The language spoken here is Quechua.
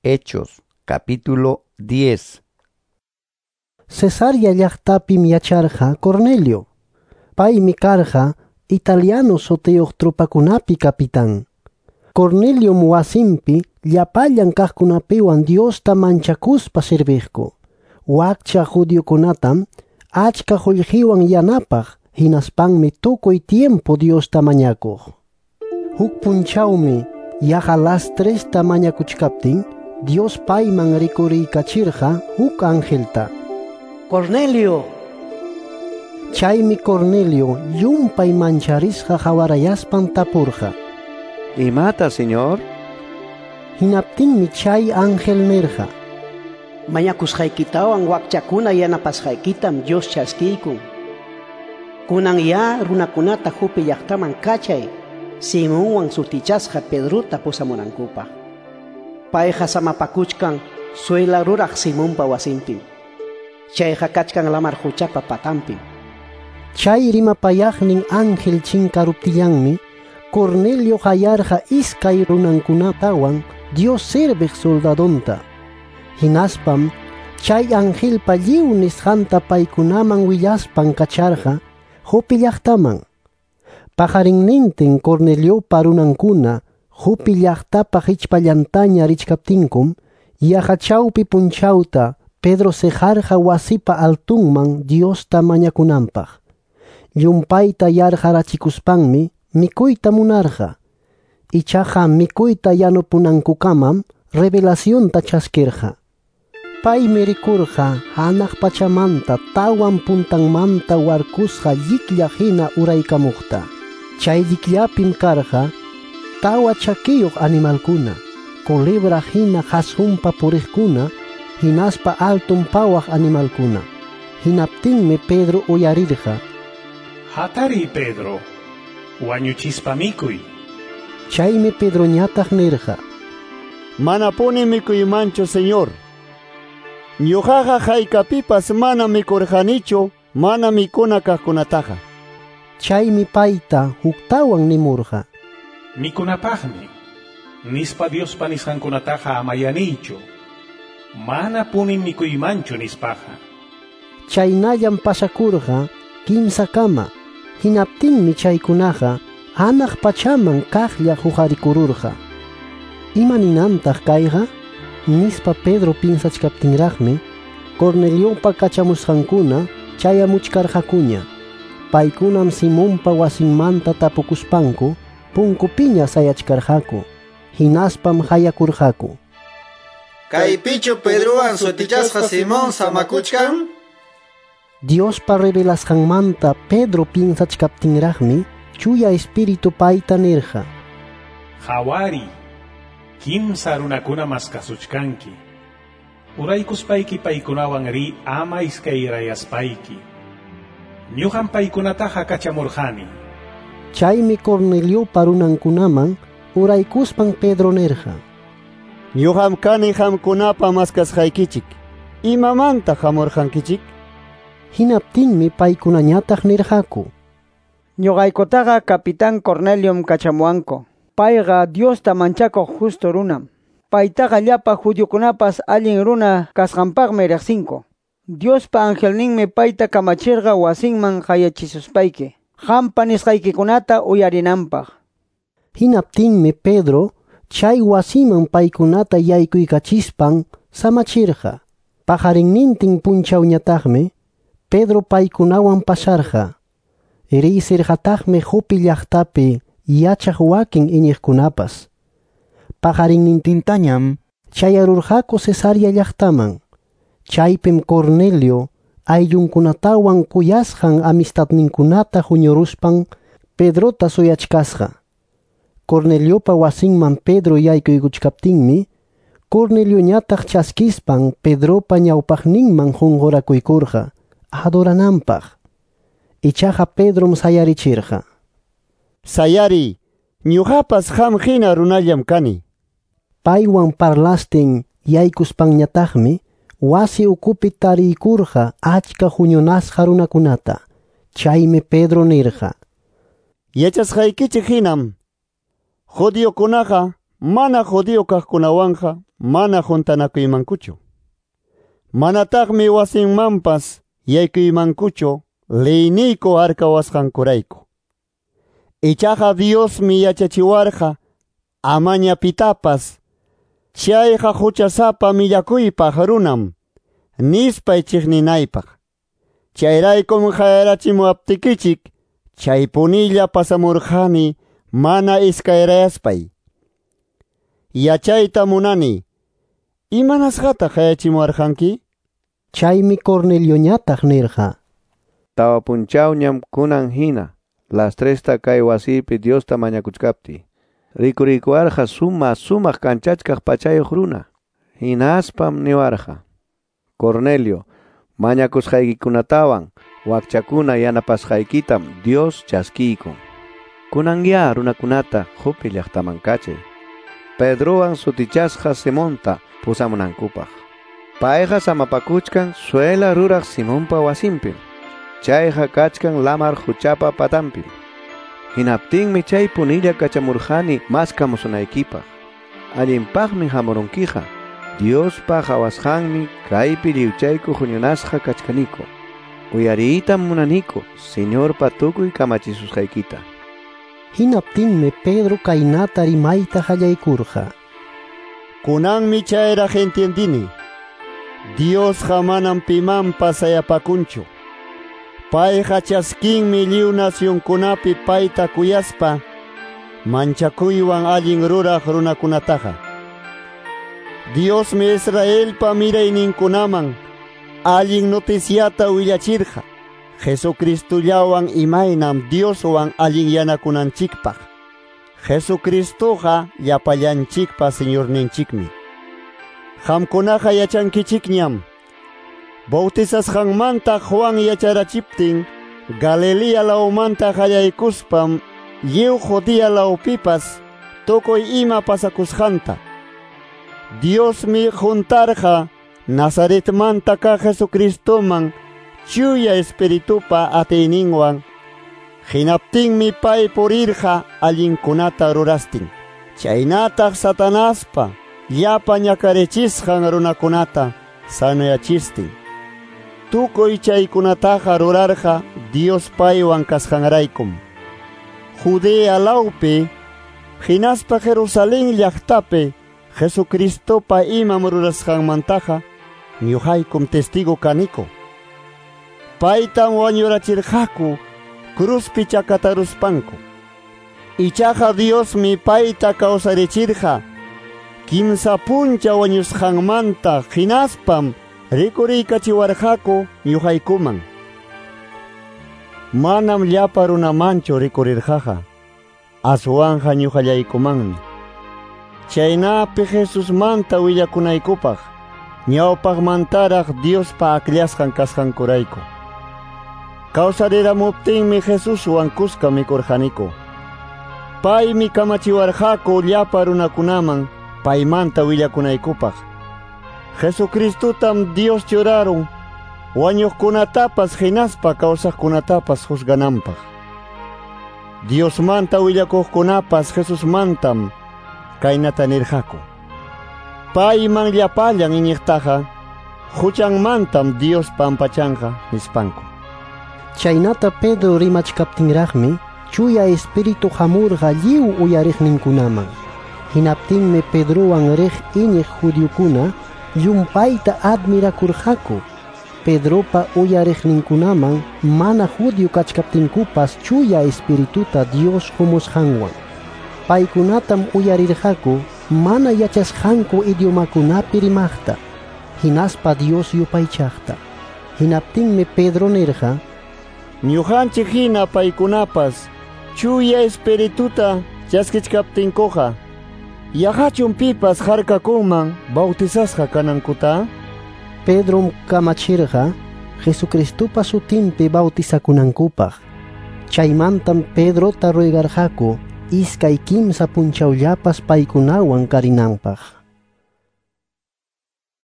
Hechos, capítulo 10. Cesarea llaqtapim yacharqa Cornelio. Paymi karqa italiano sutiyuq tropakunapi capitán. Corneliom wasinpi llapallan kaqkunapiwan Diosta manchakuspa serviqku. Wakcha judiokunatam achka qullqiwan yanapaq, hinaspanmi tukuy tiempo Diosta mañakuq. Huk punchawmi yaqa las tresta mañakuchkaptin Dios payman rikuriykachirqa huk angelta. Cornelio. Chaymi Cornelio llumpay mancharisqa hawarayaspan tapurqa. ¿Imata, Señor? Hinaptinmi chay ángel nirqa. Mañakusqaykitawan wakchakuna yanapasqaykitam Dios chaskiykun. Kunan ya runakunata Jope llaqtaman kachay, Simonwan sutichasqa Pedrota pusamunankupaq. Payqa samapakuchkan suela ruraq Simonpa wasinpim. Chayqa kachkan lamar huchapa patanpim. Chay rimapayaqnin ángel chinkaruptillanmi Cornelio hayarqa iskay runankunatawan Dios serviq soldadonta. Hinaspam chay angelpa lliw nisqanta paykunaman willaspan kacharqa Jope llaqtaman. Paqarinnintin Corneliopa runankuna Jope llaqtapa hichpallantaña richkaptinkum yaqa chawpi punchawta Pedro seqarqa wasipa altunman Diosta mañakunanpaq. Llumpayta yarqarachikuspanmi mikuyta munarqa. Ichaqa mikuyta yanupunankukamam revelacionta chaskirqa. Paymi rikurqa hanaq pachamanta tawan puntanmanta warkusqa lliklla hina uraykamuqta. Chay llikllapim karqa tawa chakiyuq animalkuna, culebra hina qasqunpa puriqkuna, hinaspa alton pawaq animalkuna. Hinaptinmi Pedro uyarirqa. Hatari, Pedro, wañuchispa mikuy. Chaymi Pedroñataq nirqa. Manapuni mikuymanchu, Señor. Ñuqaqa haykapipas mana mikurqanichu, mana mikuna kaqkunataqa. Chaymi payta huktawan nimurqa. Mikunapaqmi, nispa Diospa nisqankunataqa amayanichu. Manapuni mikuymanchu nispaqa. Chaynallam pasakurqa kimsakama. Hinaptinmi chaykunaqa hanaq pachaman kaqlla huqarikururqa. Ima ninantaq kayqa? Nispa Pedro pinsachkaptinraqmi Corneliopa kachamusqankuna chayamuchkarqakuña. Paykunam Simonpa wasinmanta tapukuspanku punkupiña sayachkarqaku. Hinaspam hayakurqaku. Kaypichu Pedrowan sutichasqa Simón samakuchkan? Diospa revelasqanmanta Pedro pinsachkaptinraqmi Chuya Espíritu payta nirqa. Hawari, kimsa runakuna maskasuchkanki. Uraykuspayki paykunawan ri ama iskayrayaspayki. Ñuqam paykunataqa kachamurqani. Chaymi Corneliopa runankunaman uraykuspan Pedro nirqa. Ñuqam kani qamkunapa maskasqaykichik. Imamanta hamurqankichik? Hinaptinmi paykunañataq nirqaku. Ñuqaykutaqa capitán Corneliom kachamuwanku. Payqa Diosta manchakuq justo runam. Paytaqa llapa judiokunapas allin runa kasqanpaqmi riqsinku. Diospa angelninmi payta kamachirqa wasinman hayachisuspayki. Qampa nisqaykikunata uyarinanpaq. Hinaptinmi Pedro chay wasiman paykunata yaykuykachispan samachirqa. Paqarinnintin punchawñataqmi Pedro paykunawan pasarqa. Riysirqataqmi Jope llaqtapi yachaq wakin iñiqkunapas. Paqarinnintintañam chayarurqaku Cesarea llaqtaman. Chaypim Cornelio ayllunkunatawan kuyasqan amistadninkunata huñuruspan Pedrota suyachkasqa. Corneliopa wasinman Pedro yaykuykuchkaptinmi Cornelioñataq chaskispan Pedropa ñawpaqninman qunqurakuykurqa adorananpaq. Ichaqa Pedrom sayarichirqa. Sayari, ñuqapas qam hina runallam kani. Paywan parlastin yaykuspanñataqmi wasi ukupi tariykurqa achka huñunasqa runakunata. Chaymi Pedro nirqa. Yachasqaykichik hinam judiokunaqa mana judío kaqkunawanqa mana juntanakuymankuchu. Manataqmi wasinmanpas yaykuymankuchu leyniyku harkawasqankurayku. Ichaqa Diosmi yachachiwarqa amaña pitapas chayqa huchasapa millakuypaq runam nispay chiqninaypaq. Chayraykum qayarachimuwaptikichik chaypunilla pasamurqani mana iskayrayaspay. Yachayta munani, imanasqataq qayachimuwarqanki? Chaymi Cornelioñataq nirqa: Tawa punchawñam kunan hina las tresta kay wasipi Diosta mañakuchkaptiy. Rikurikuwarqa suma sumaq kanchachkaq pachayuq runa. Hinaspam niwarqa: Cornelio, mañakusqaykikunatawan wakchakuna yanapasqaykitam Dios chaskiykun. Kunanya runakunata Jope llaqtaman kachay. Pedrowan sutichasqa Simonta pusamunankupaq. Payqa samapakuchkan suela ruraq Simonpa wasinpim. Chayqa kachkan lamar huchapa patanpim. Hinaptinmi chay punilla kachamurqani maskamusunaykipaq. Allinpaqmi hamurunkiqa. Diospa qhawasqanmi kaypi lliwchayku huñunasqa kachkaniku. Uyariytam munaniku Señorpa tukuy kamachisusqaykita. Hinaptinmi Pedro kaynata rimayta qallaykurqa: Kunanmi chayraq entiendini. Diosqa manam pimanpas sayapakunchu. Payqa chaskinmi lliw nacionkunapi payta kuyaspa manchakuywan allin ruraq runakunataqa. Diosmi Israelpa mirayninkunaman allin noticiata willachirqa Jesucristullawan imaynam Dioswan allinyanakunanchikpaq. Jesucristuqa llapallanchikpa Señorninchikmi. Qamkunaqa yachankichikñam. Bautizasqanmanta Juan yacharachiptin Galilea lawmanta qallaykuspam lliw Judea lawpipas tukuy ima pasakusqanta. Diosmi juntarqa Nazaretmanta kaq Jesucristoman chuya espiritupa atiyninwan. Hinaptinmi pay purirqa allinkunata rurastin. Chaynataq Satanaspa llapa ñakarichisqan runakunata sanuyachistin. Tukuy chaykunataqa rurarqa Dios paywan kasqanraykum. Judea lawpi hinaspa Jerusalén llaqtapi Jesucristopa imam rurasqanmantaqa ñuqaykum testigo kaniku. Paytam wañurachirqaku cruzpi chakataruspanku. Ichaqa Diosmi payta kawsarichirqa kimsa puncha wañusqanmanta hinaspam rikuriykachiwarqaku ñuqaykuman. Manam llapa runamanchu rikurirqaqa, aswanqa ñuqallaykumanmi. Chaynapi Jesusmanta willakunaykupaq ñawpaqmantaraq Diospa akllasqan kasqankurayku. Kawsariramuptinmi Jesuswan kuska mikurqaniku. Paymi kamachiwarqaku llapa runakunaman paymanta willakunaykupaq. Jesucristotam Dios churarun wañuqkunatapas hinaspa kawsaqkunatapas juzgananpaq. Diosmanta willakuqkunapas Jesusmantam kaynata nirqaku: Payman llapallan iñiqtaqa huchanmantam Dios pampachanqa, nispanku. Chaynata Pedro rimachkaptinraqmi Chuya Espíritu hamurqa lliw uyariqninkunaman. Hinaptinmi Pedrowan riq iñiq judiokuna llumpayta admirakurqaku. Pedropa uyariqninkunaman mana judío kachkaptinkupas Chuya Espirituta Dios humusqanwan. Paykunatam uyarirqaku mana yachasqanku idiomakunapi rimaqta, hinaspa Dios yupaychaqta. Hinaptinmi Pedro nirqa: Ñuqanchik hina paykunapas Chuya Espirituta chaskichkaptinkuqa, yaqachun pipas harkakunman bautizasqa kanankuta? Pedrom kamachirqa Jesucristopa sutinpi bautizakunankupaq. Chaymantam Pedrota ruegarqaku iskay kimsa punchawllapas paykunawan karinanpaq.